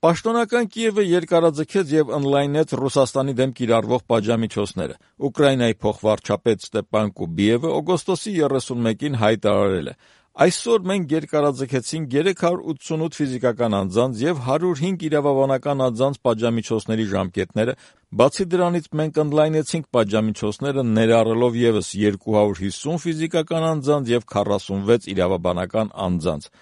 Պաշտոնական Կիևը երկարաձգեց եւ ընդլայնեց Ռուսաստանի դեմ կիրառվող պատժամիջոցները։ Ուկրաինայի փոխվարչապետ Ստեպան Կուբիևը օգոստոսի 31-ին հայտարարել է. «Այսօր մենք երկարաձգեցինք 388 ֆիզիկական անձանց եւ 105 իրավաբանական անձանց պատժամիջոցների ժամկետները, բացի դրանից մենք ընդլայնեցինք պատժամիջոցները ներառելով եւս 250 ֆիզիկական անձանց եւ 46 իրավաբանական անձանց»,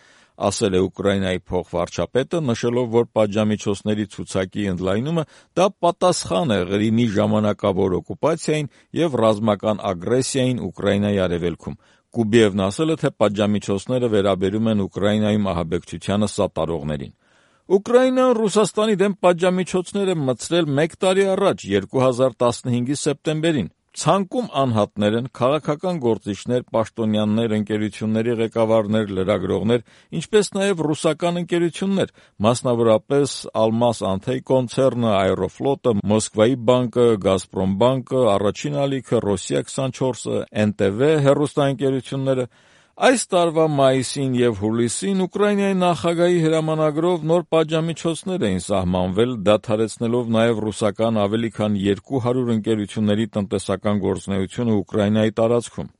ասել է Ուկրաինայի փոխվարչապետը, նշելով, որ պատժամիջոցների ցուցակի ընդլայնումը դա պատասխան է Ղրիմի ժամանակավոր օկուպացիային եւ ռազմական ագրեսիային Ուկրաինայի արևելքում։ Կուբիևն ասել է, թե պատժամիջոցները վերաբերում են Ուկրաինայում ահաբեկչությանը սատարողներին։ Ուկրաինան Ռուսաստանի դեմ պատժամիջոցներ է մտցրել 1 տարի առաջ, 2015-ի սեպտեմբերին։ Ցանկում անհատներ են, քաղաքական գործիչներ, պաշտոնյաներ, ընկերությունների ղեկավարներ, լրագրողներ, ինչպես նաև ռուսական ընկերություններ, մասնավորապես Almaz Antey կոնցեռնը, Aeroflot-ը, Մոսկվայի բանկը, Gazprom բանկը, Առաջին ալիքը, Rossiya 24-ը, NTV հեռուստաընկերությունները։ Այս տարվա մայիսին եւ հուլիսին Ուկրաինայի նախագահի հրամանագրով նոր պատժամիջոցներ էին սահմանվել, դադարեցնելով նաեւ ռուսական ավելի քան 200 ընկերությունների տնտեսական գործունեությունը Ուկրաինայի տարածքում։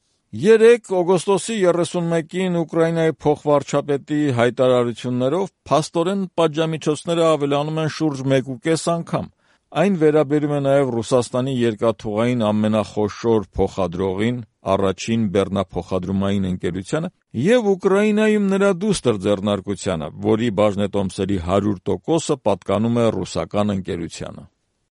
3 օգոստոսի 31-ին Ուկրաինայի փոխվարչապետի հայտարարություններով փաստորեն պատժամիջոցները ավելանում են շուրջ 1.5 անգամ։ Այն վերաբերում է նաև Ռուսաստանի երկաթուղային ամենախոշոր փոխադրողին, առաջին բեռնափոխադրումային ընկերությանը, եւ Ուկրաինայում նրա դուստր ձեռնարկությանը, որի բաժնետոմսերի 100%-ը պատկանում է ռուսական ընկերությանը։